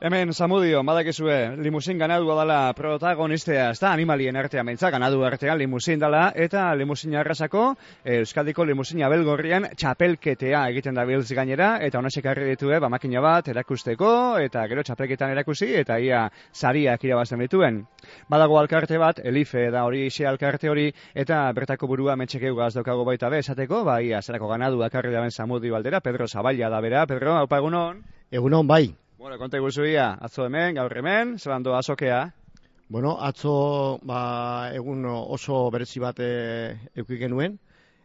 Hemen, Zamudio, badakizue, limusin ganadua dela protagonistea, ez da animalien artean behintzat, ganadu artean limusin dela, eta limusin arrasako, Euskadiko limusin abelgorrian txapelketea egiten da biltz gainera, eta honesek harri ditue, makina bat erakusteko, eta gero txapelketan erakusi, eta ia sariak irabazten dituen. Badago alkarte bat, Elife da hori ise alkarte hori, eta bertako burua metxekeu daukago baita be, esateko, ia zerako ganadu akarri daben Zamudio aldera, Pedro Zabaila da bera. Pedro, haupa egunon? Egunon, bai. Bueno, konta iguzuia, atzo hemen, gaur hemen, zelan doa azokea? Bueno, atzo egun oso berezi bat eduki genuen,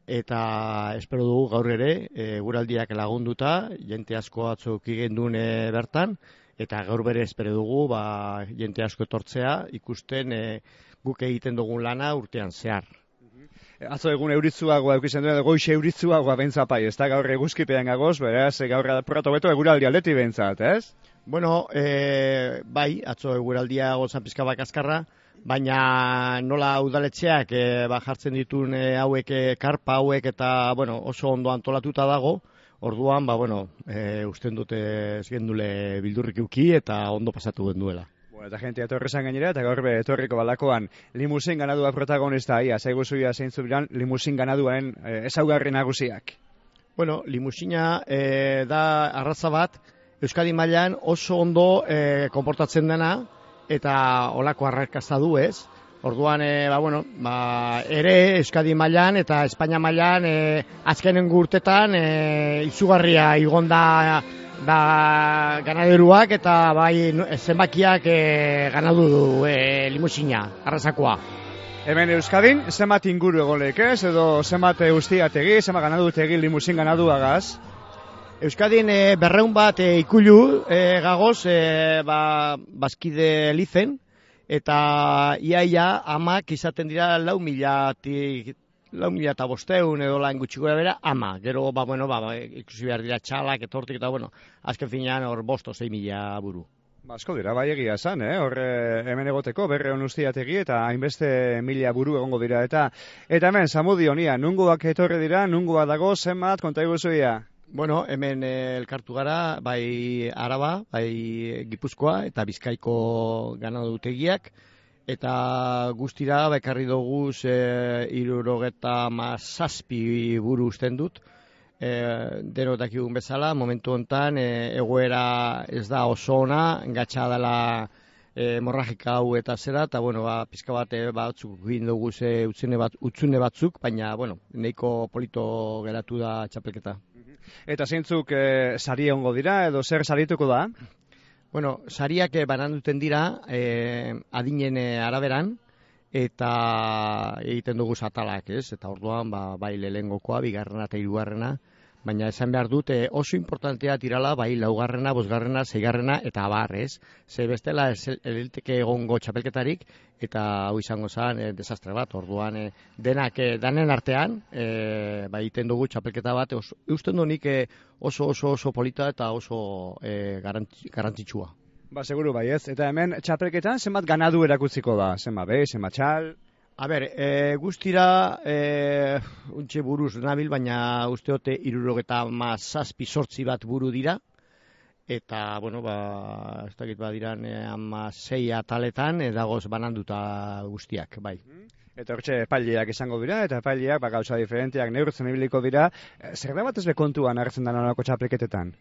eta espero dugu gaur ere, guraldiak lagunduta, jente asko atzo eduki genduen bertan, eta gaur bere espero dugu, jente asko etortzea, ikusten guk egiten dugun lana urtean zehar. Atzo egun euritzuagoa eukizen duen, goixe euritzuagoa bentzapai, ez da gaur eguzkipean gagoz, beraz, gaur protobeto eguraldi aldeti bentzat, ez? Bueno, bai, atzo eguraldia gozan pizka bat kaskarra, baina nola udaletxeak jartzen ditun hauek, karpa hauek, eta bueno, oso ondo antolatuta dago, orduan, usten dute ez gendule bildurrik euki eta ondo pasatu genduela. Eta jentea etorrezan gainera, eta gaur etorriko balakoan limusin ganadua protagonista, zaiguzuia zeintzu biran limusin ganaduaren ezaugarri nagusiak. Bueno, limusina da arraza bat, Euskadi mailan oso ondo konportatzen dena, eta olako arrakasta du ez. Orduan, ere Euskadi mailan eta Espainia mailan azkenen urtetan izugarria igonda da ganaderuak eta bai zenbakiak ganadu du limusina, arrasakoa. Hemen Euskadin, zenbat inguru egolek ez, edo zenbat ustiategi, zenbat ganadutegi limusin ganaduagaz? Euskadin 200 bat ikulu gagoz bazkide lizen, eta iaia amak izaten dira 4.000 eta 500 edo lan gutxiko bera, ama. Gero, ikusi behar dira txalak, etortik, eta azken finean hor 5.000-6.000 buru. Asko dira, bai egia esan, hemen egoteko, berreon ustiategi, eta hainbeste 1.000 buru egongo dira. Eta hemen, Zamudio, nungoak etorri dira, nungoak dago, zenbat, konta iguzuia? Bueno, hemen elkartu gara, bai Araba, bai Gipuzkoa, eta Bizkaiko ganadutegiak, eta guztira ekarri dugu 67 buru usten dut. Deno dakigun bezala, momentu honetan egoera ez da oso ona, gatsa dela hemorragika hau eta zera, eta pizka bat batzuk egin dugu utzune batzuk, baina nahiko polito geratu da txapelketa. Eta zeintzuk sari egongo dira, edo zer sarituko da? Bueno, sariak bananduten dira adinen araberan, eta egiten dugu atalak, ez? Eta orduan, bai lehengokoa, bigarrena eta hirugarrena, baina esan behar dut oso importantea tirala, bai laugarrena, bosgarrena, seigarrena eta abar, ez? Ze bestela eliteke egongo txapelketarik, eta hau izango zen desastre bat, orduan danen artean, egiten dugu txapelketa bat, usten du nik oso polita eta oso garantzitsua. Seguru bai ez, eta hemen txapelketan zenbat ganadu erakutziko da, zenbat be, zenbat txal? A ber, guztira untxe buruz nabil, baina usteote 77 bat buru dira, eta, ez dakit badiran 6 ataletan dagoz bananduta guztiak, bai. Eta hortxe epaileak izango dira, eta epaileak gauza diferenteak neurtzen ibiliko dira. Zer da bat ez bekontuan hartzen da nolako txapelketetan?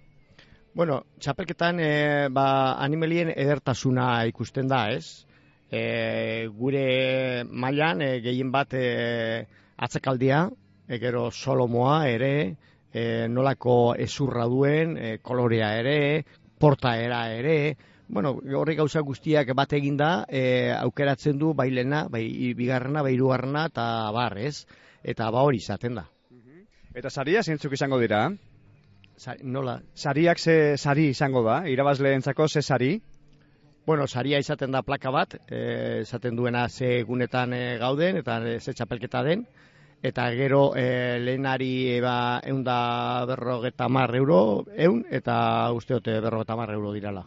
Bueno, txapelketan animalien edertasuna ikusten da, ez? Gure mailan gehien bat atzakaldia, gero solomoa ere, nolako ezurra duen, kolorea ere, portaera ere, horrek gauza guztiak bat eginda, aukeratzen du bai lehena, bai bigarrena, bai hirugarrena eta bar, ez? Eta hori izaten da. Eta saria zeintzuk izango dira? Nola? Sariak ze sari izango da? Irabazleentzako ze sari? Bueno, saria izaten da plaka bat, esaten duena ze egunetan gauden eta ze txapelketa den, eta gero lehenari 150 euro, eta usteote 50 euro dirala.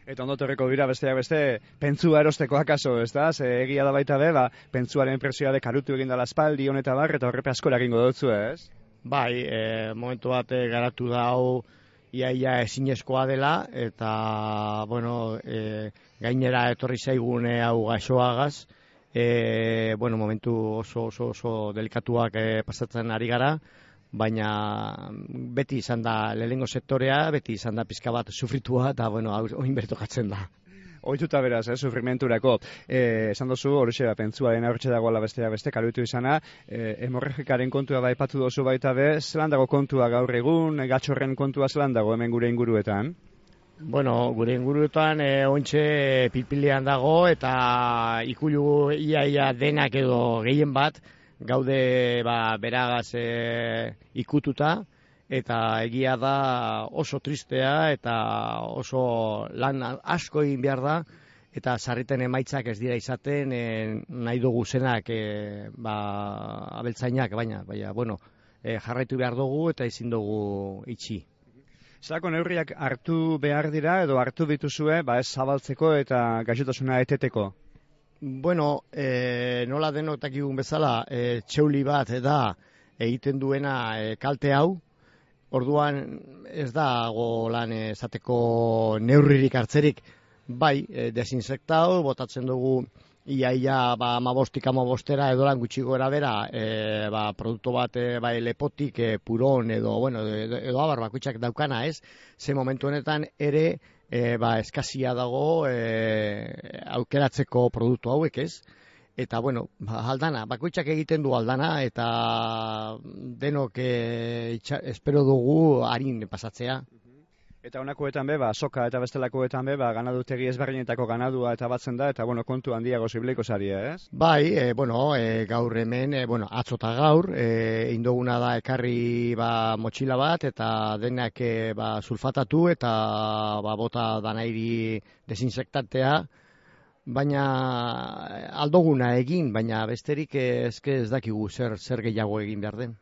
Eta ondo torreko dira besteak beste pentsua erosteko akaso, ez da? Egia da baita be, pentsuaren presioa dekarutu egin dela espaldi honeta bar, eta horrepe asko eragingo dutzu, ez? Bai, momentu bat garatu da hau iaia ezinezkoa dela, eta, bueno, gainera etorri zaigun hau gaixoagaz, momentu oso delikatuak pasatzen ari gara, baina beti izan da lehenengo sektorea, beti izan da pizka bat sufritua, eta, oin bertokatzen da. Ohituta beraz, sufrimenturako. Esan dozu, horixe pentsuaren aurtxe dagoela beste kaluitu izana, hemorragikaren kontua aipatu dozu baita be, zelan dago kontua gaur egun, gatxorren kontua zelan dago hemen gure inguruetan? Gure inguruetan ointxe pilpilean dago, eta ikulu iaia denak edo gehien bat, gaude beragaz ikututa, eta egia da oso tristea eta oso lan asko egin behar da, eta sarriten emaitzak ez dira izaten nahi dugu zenak abeltzainak, baina jarraitu behar dugu eta ezin dugu itxi. Zelako neurriak hartu behar dira edo hartu dituzue ez zabaltzeko eta gaixotasuna eteteko? Nola denok dakigun bezala, txeuli bat da egiten duena kalte hau, orduan ez dago lan esateko neurririk hartzerik, desinsektau, botatzen dugu iaia 15-15 edo lan gutxi gora bera, produktu bat lepotik, puron edo abar bakoitzak daukana ez, ze momentu honetan ere eskazia dago aukeratzeko produktu hauek ez. Eta, aldana, bakoitzak egiten du aldana, eta denok espero dugu harin pasatzea. Eta honakoetan soka eta bestelakoetan ganadutegi ezberdinetako ganadua eta batzen da, eta kontu handiago zibileiko zaria, ez? Gaur hemen, atzota gaur, indoguna da ekarri motxila bat, eta denak sulfatatu, eta bota danairi desinsektantea, baina aldoguna egin, baina besterik ez dakigu zer gehiago egin behar den.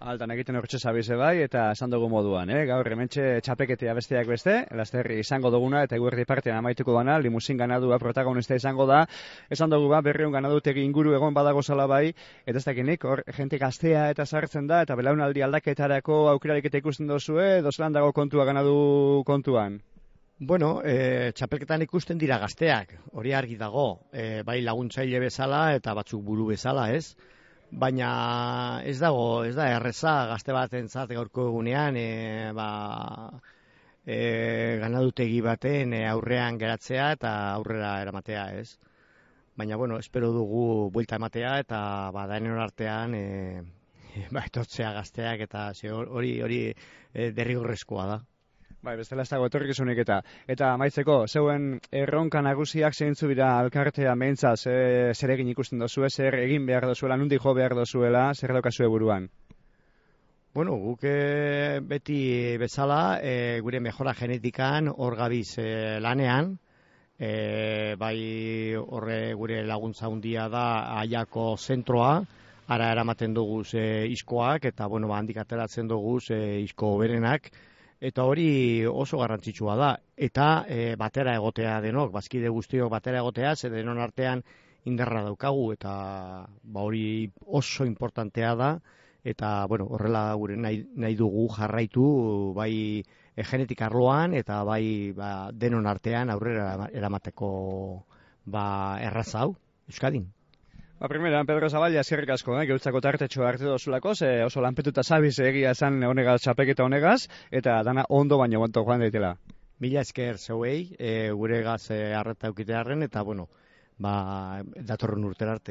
Altan egiten hortxe zabize eta esan dugu moduan, gaur hementxe txapeketea besteak beste, lasterri izango duguna eta eguerdi partean amaituko dana, limusin ganadua protagonista izango da, esan dugu berriun ganadutegi inguru egon badago zala eta ez dakinik, hor jente gaztea eta sartzen da, eta belaunaldi aldaketarako aukerarik eta ikusten dozue, edo zelan dago kontua ganadu kontuan? Txapelketan ikusten dira gazteak, hori argi dago, bai laguntzaile bezala eta batzuk buru bezala, ez? Baina ez da erreza gazte batentzat gaurko egunean ganadutegi baten aurrean geratzea eta aurrera eramatea, ez? Baina, espero dugu buelta ematea eta denon artean etortzea gazteak eta hori derrigorrezkoa da. Bestela ez dago etorkizunik eta amaitzeko, zeuen erronka nagusiak zeintzu dira alkartea mehintzaz, zer egin ikusten dozu, zer egin behar dozuela, nundi jo behar dozuela, zer daukazue buruan? Guk beti bezala, gure mejora genetikan hor gabiz lanean, horre gure laguntza handia da Aiako zentroa, ara eramaten dugu iskoak, eta handik ateratzen dugu isko berenak, eta hori oso garrantzitsua da. Eta batera egotea denok, bazkide guztiok batera egotea, ze denon artean indarra daukagu, eta hori oso importantea da, eta horrela gure nahi dugu jarraitu, bai genetik arloan, eta bai denon artean aurrera eramateko erraza hau, Euskadin. Primeran, Pedro Zaballa, eskerrik asko, gerutzako tartetxo hartu dozulako, oso lanpetuta zabiz egia esan honegaz, txapeketa honegaz, eta dana ondo baino gonto joan daitela. Mila esker zeuei, gure gaz harreta eukitearen, eta datorren urtera arte.